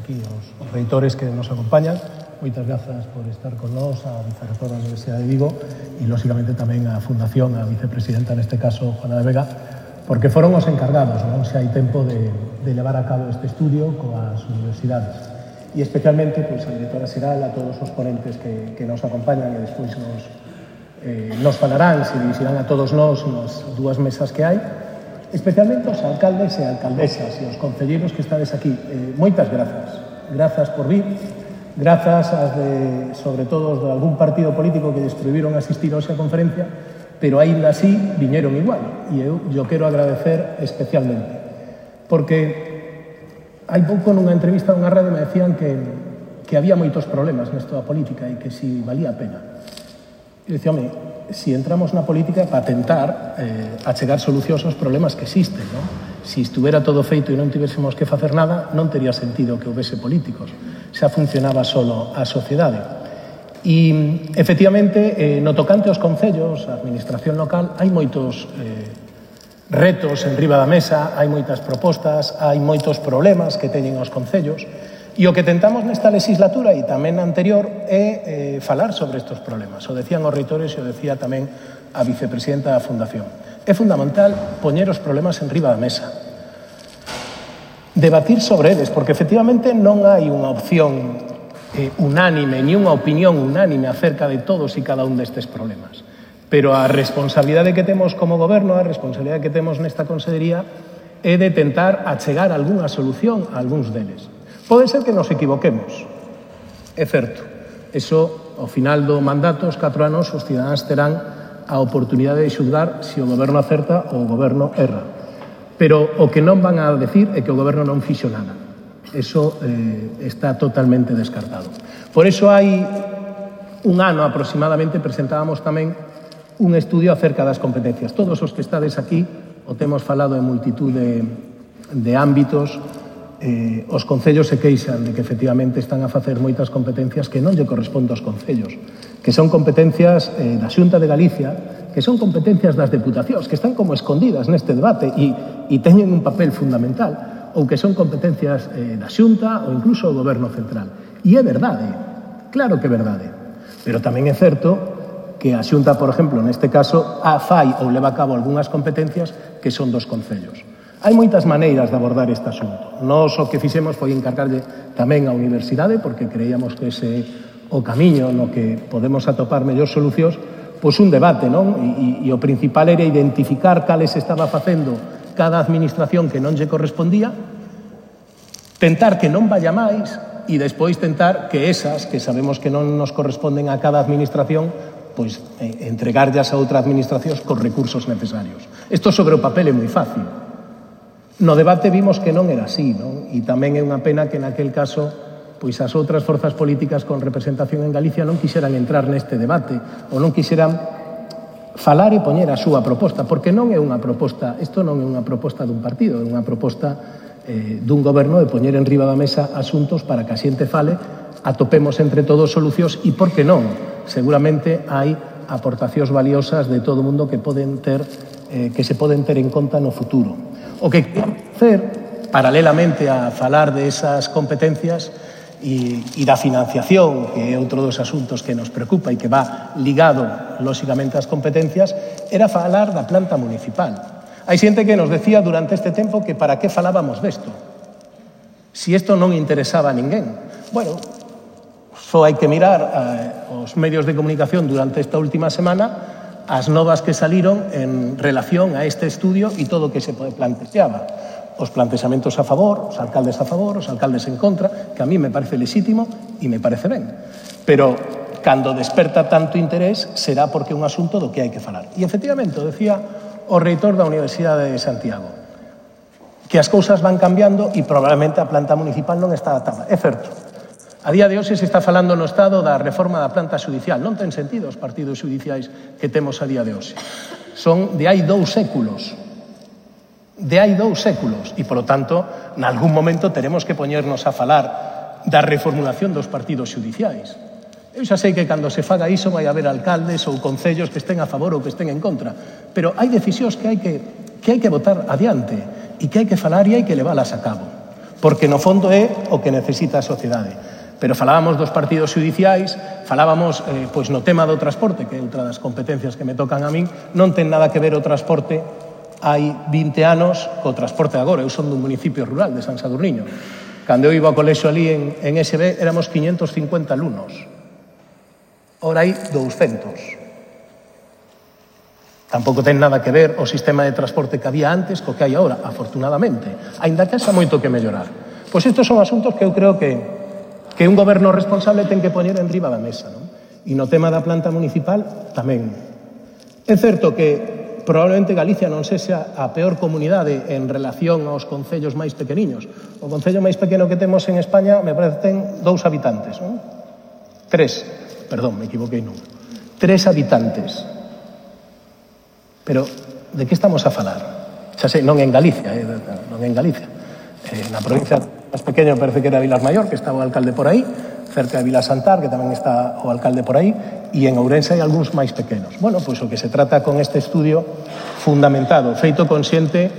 aquí os reitores que nos acompañan. Moitas grazas por estar con nós, a vicerrectora da Universidade de Vigo e, lóxicamente, tamén a Fundación, a vicepresidenta, neste caso, Juana de Vega, porque foron os encargados, non se hai tempo de levar a cabo este estudio coas universidades. E especialmente, pois, a directora xeral, a todos os ponentes que nos acompañan e despois nos falarán, se dirixirán a todos nós nas dúas mesas que hai, especialmente os alcaldes e alcaldesas e os concelleiros que estades aquí. Moitas grazas. Grazas por vir. Grazas sobre todo, de algún partido político que lles prohibiron asistir hoxe a conferencia, pero aínda así viñeron igual. E eu quero agradecer especialmente. Porque hai pouco nunha entrevista a unha radio me decían que había moitos problemas nesta política e que si valía a pena. E dicía, home, si entramos na política para tentar achegar solucións aos problemas que existen, non? Si estuvera todo feito e non tivésemos que facer nada, non tería sentido que houvese políticos. Xa funcionaba solo a sociedade. E, efectivamente, no tocante aos concellos, a administración local, hai moitos retos en riba da mesa, hai moitas propostas, hai moitos problemas que teñen os concellos, e o que tentamos nesta legislatura e tamén na anterior é falar sobre estes problemas. O decían os reitores e o decía tamén a vicepresidenta da Fundación. É fundamental poñer os problemas en riba da mesa. Debatir sobre eles, porque efectivamente non hai unha opción unánime, ni unha opinión unánime acerca de todos e cada un destes problemas. Pero a responsabilidade que temos como goberno, a responsabilidade que temos nesta consellería é de tentar achegar algunha solución a algúns deles. Pode ser que nos equivoquemos, é certo. Eso, ao final do mandato, os 4 anos, os cidadáns terán a oportunidade de xulgar se o goberno acerta ou o goberno erra. Pero o que non van a decir é que o goberno non fixo nada. Eso está totalmente descartado. Por eso hai un ano aproximadamente presentábamos tamén un estudio acerca das competencias. Todos os que estades aquí o temos falado en multitud de ámbitos. Os concellos se queixan de que efectivamente están a facer moitas competencias que non lle corresponden aos concellos, que son competencias da Xunta de Galicia, que son competencias das deputacións, que están como escondidas neste debate e teñen un papel fundamental, ou que son competencias da Xunta ou incluso do Goberno Central. E é verdade, claro que é verdade, pero tamén é certo que a Xunta, por exemplo, neste caso, fai ou leva a cabo algunhas competencias que son dos concellos. Hai moitas maneiras de abordar este asunto. Nós o que fixemos foi encargarlle tamén á universidade, porque creíamos que ese o camiño no que podemos atopar mellores solucións, pois un debate, non? E o principal era identificar cales estaba facendo cada administración que non lle correspondía, tentar que non vaya máis e despois tentar que esas que sabemos que non nos corresponden a cada administración, pois entregarllas a outra administración con recursos necesarios. Isto sobre o papel é moi fácil. No debate vimos que non era así, non? E tamén é unha pena que naquel caso pois as outras forzas políticas con representación en Galicia non quixeran entrar neste debate ou non quixeran falar e poñer a súa proposta, porque non é unha proposta, isto non é unha proposta dun partido, é unha proposta dun goberno de poñer en riba da mesa asuntos para que a xente fale, atopemos entre todos solucións e, por que non, seguramente hai aportacións valiosas de todo o mundo que se poden ter en conta no futuro. O que queremos facer, paralelamente a falar de esas competencias e da financiación, que é outro dos asuntos que nos preocupa e que va ligado, lóxicamente, ás competencias, era falar da planta municipal. Hai xente que nos decía durante este tempo que para que falábamos desto, si isto non interesaba a ninguén. Bueno, só hai que mirar os medios de comunicación durante esta última semana as novas que saliron en relación a este estudio e todo o que se planteaba. Os plantexamentos a favor, os alcaldes en contra, que a mí me parece lexítimo e me parece ben. Pero, cando desperta tanto interés, será porque é un asunto do que hai que falar. E, efectivamente, decía o reitor da Universidade de Santiago, que as cousas van cambiando e probablemente a planta municipal non está adaptada. É certo. A día de hoxe se está falando no Estado da reforma da planta xudicial. Non ten sentido os partidos xudiciais que temos a día de hoxe. Son de hai 2 séculos. De hai 2 séculos. E, polo tanto, nalgún momento teremos que poñernos a falar da reformulación dos partidos xudiciais. Eu xa sei que cando se faga iso vai haber alcaldes ou concellos que estén a favor ou que estén en contra. Pero hai decisións que hai que botar adiante e que hai que falar e hai que leválas a cabo. porque no fondo é o que necesita a sociedade. Pero falábamos dos partidos judiciais, falábamos pois no tema do transporte, que é outra das competencias que me tocan a min, non ten nada que ver o transporte hai 20 anos co transporte agora. Eu son dun municipio rural de San Sadurniño. Cando eu iba ao colexo ali en SB éramos 550 alumnos. Ora hai 200. Tampouco ten nada que ver o sistema de transporte que había antes co que hai agora, afortunadamente. Aínda que haxa moito que mellorar. Pois estes son asuntos que eu creo que un goberno responsable ten que poñer en riba da mesa, non? E no tema da planta municipal tamén. É certo que probablemente Galicia non sexa a peor comunidade en relación aos concellos máis pequeniños. O concello máis pequeno que temos en España me parece que ten 2 habitantes, non? 3, perdón, me equivoquei non. 3 habitantes. Pero de que estamos a falar? Xa sei, non en Galicia, non en Galicia. Na provincia máis pequeno parece que era Vilas Maior, que estaba o alcalde por aí, cerca de Vilasantar, que tamén está o alcalde por aí, e en Ourense hai algúns máis pequenos. Bueno, pois o que se trata con este estudio fundamentado, feito consciente,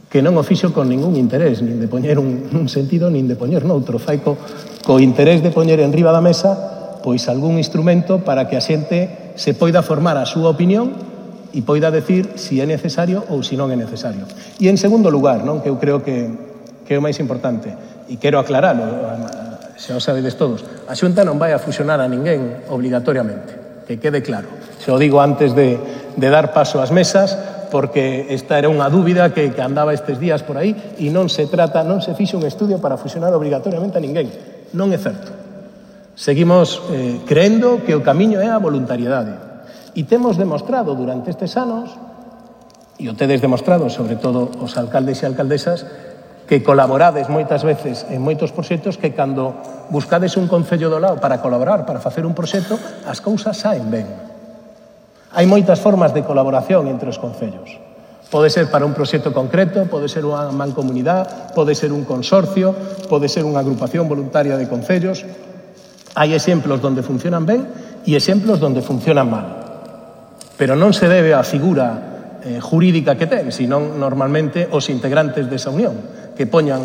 que non o fixo con ningún interés, nin de poñer un sentido, nin de poñer noutro. Fai co interés de poñer en riba da mesa pois algún instrumento para que a xente se poida formar a súa opinión e poida decir si é necesario ou si non é necesario. E en segundo lugar, non, que eu creo que é o máis importante, e quero aclararlo, xa o sabedes todos, a Xunta non vai a fusionar a ninguén obligatoriamente, que quede claro. Xa o digo antes de dar paso ás mesas, porque esta era unha dúbida que andaba estes días por aí, e non se fixo un estudio para fusionar obligatoriamente a ninguén. Non é certo. Seguimos creendo que o camiño é a voluntariedade. E temos demostrado durante estes anos, e o tedes demostrado, sobre todo os alcaldes e alcaldesas, que colaborades moitas veces en moitos proxectos que cando buscades un concello do lado para colaborar, para facer un proxecto, as cousas saen ben. Hai moitas formas de colaboración entre os concellos. Pode ser para un proxecto concreto, pode ser unha mancomunidade, pode ser un consorcio, pode ser unha agrupación voluntaria de concellos. Hai exemplos donde funcionan ben e exemplos donde funcionan mal. Pero non se debe á figura jurídica que ten, senón normalmente os integrantes desa unión, que poñan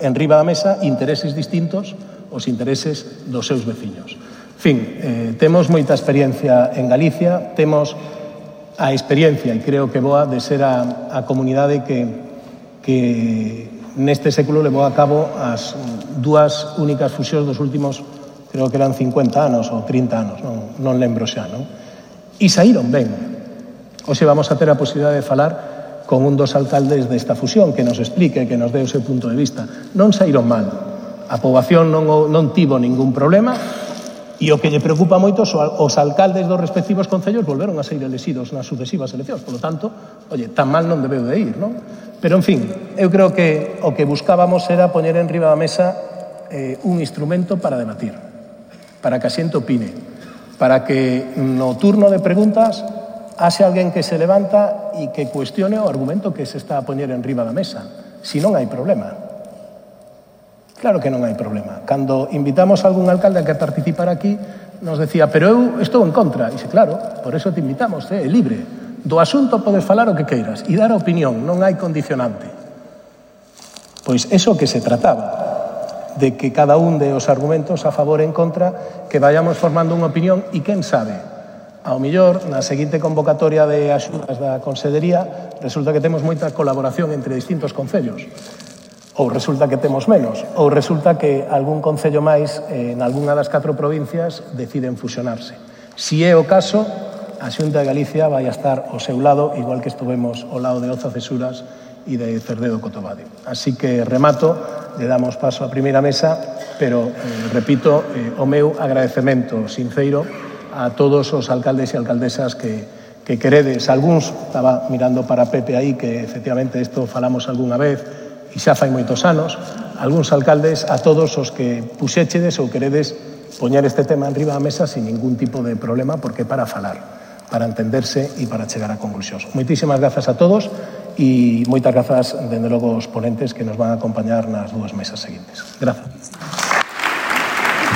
en riba da mesa intereses distintos aos intereses dos seus veciños. En fin, temos moita experiencia en Galicia, temos a experiencia, e creo que boa, de ser a comunidade que neste século levou a cabo as 2 únicas fusións dos últimos, creo que eran 50 anos ou 30 anos, non lembro xa, non? E saíron ben. Hoxe vamos a ter a posibilidade de falar con un dos alcaldes desta fusión, que nos explique, que nos dé o seu punto de vista. Non saíron mal. A poboación non tivo ningún problema, e o que lle preocupa moito os alcaldes dos respectivos concellos volveron a ser elexidos nas sucesivas eleccións. Por lo tanto, tan mal non debeu de ir, non? Pero, en fin, eu creo que o que buscábamos era poñer en riba da mesa un instrumento para debatir, para que a xente opine, para que no turno de preguntas haxe alguén que se levanta e que cuestione o argumento que se está a poñer en riba da mesa. Si non hai problema. Claro que non hai problema. Cando invitamos a algún alcalde a que participara aquí, nos decía, pero eu estou en contra. E dice, claro, por eso te invitamos, é libre. Do asunto podes falar o que queiras e dar a opinión, non hai condicionante. Pois eso que se trataba, de que cada un de os argumentos a favor e en contra, que vayamos formando unha opinión e quen sabe, ao millor, na seguinte convocatoria de axudas da Consellería, resulta que temos moita colaboración entre distintos concellos. Ou resulta que temos menos. Ou resulta que algún concello máis, en algunha das 4 provincias, deciden fusionarse. Si é o caso, a Xunta de Galicia vai a estar ao seu lado, igual que estuvemos ao lado de Oza Cesuras e de Cerdedo Cotobade. Así que remato, le damos paso á primeira mesa, pero, repito, o meu agradecemento sinceiro a todos os alcaldes e alcaldesas que queredes. Algúns, estaba mirando para Pepe aí, que efectivamente isto falamos algunha vez e xa fai moitos anos, algúns alcaldes, a todos os que puxéchedes ou queredes poñer este tema en riba da mesa sin ningún tipo de problema, porque para falar, para entenderse e para chegar a conclusións. Moitísimas grazas a todos e moitas grazas, dende logo, os ponentes que nos van a acompañar nas 2 mesas seguintes. Grazas.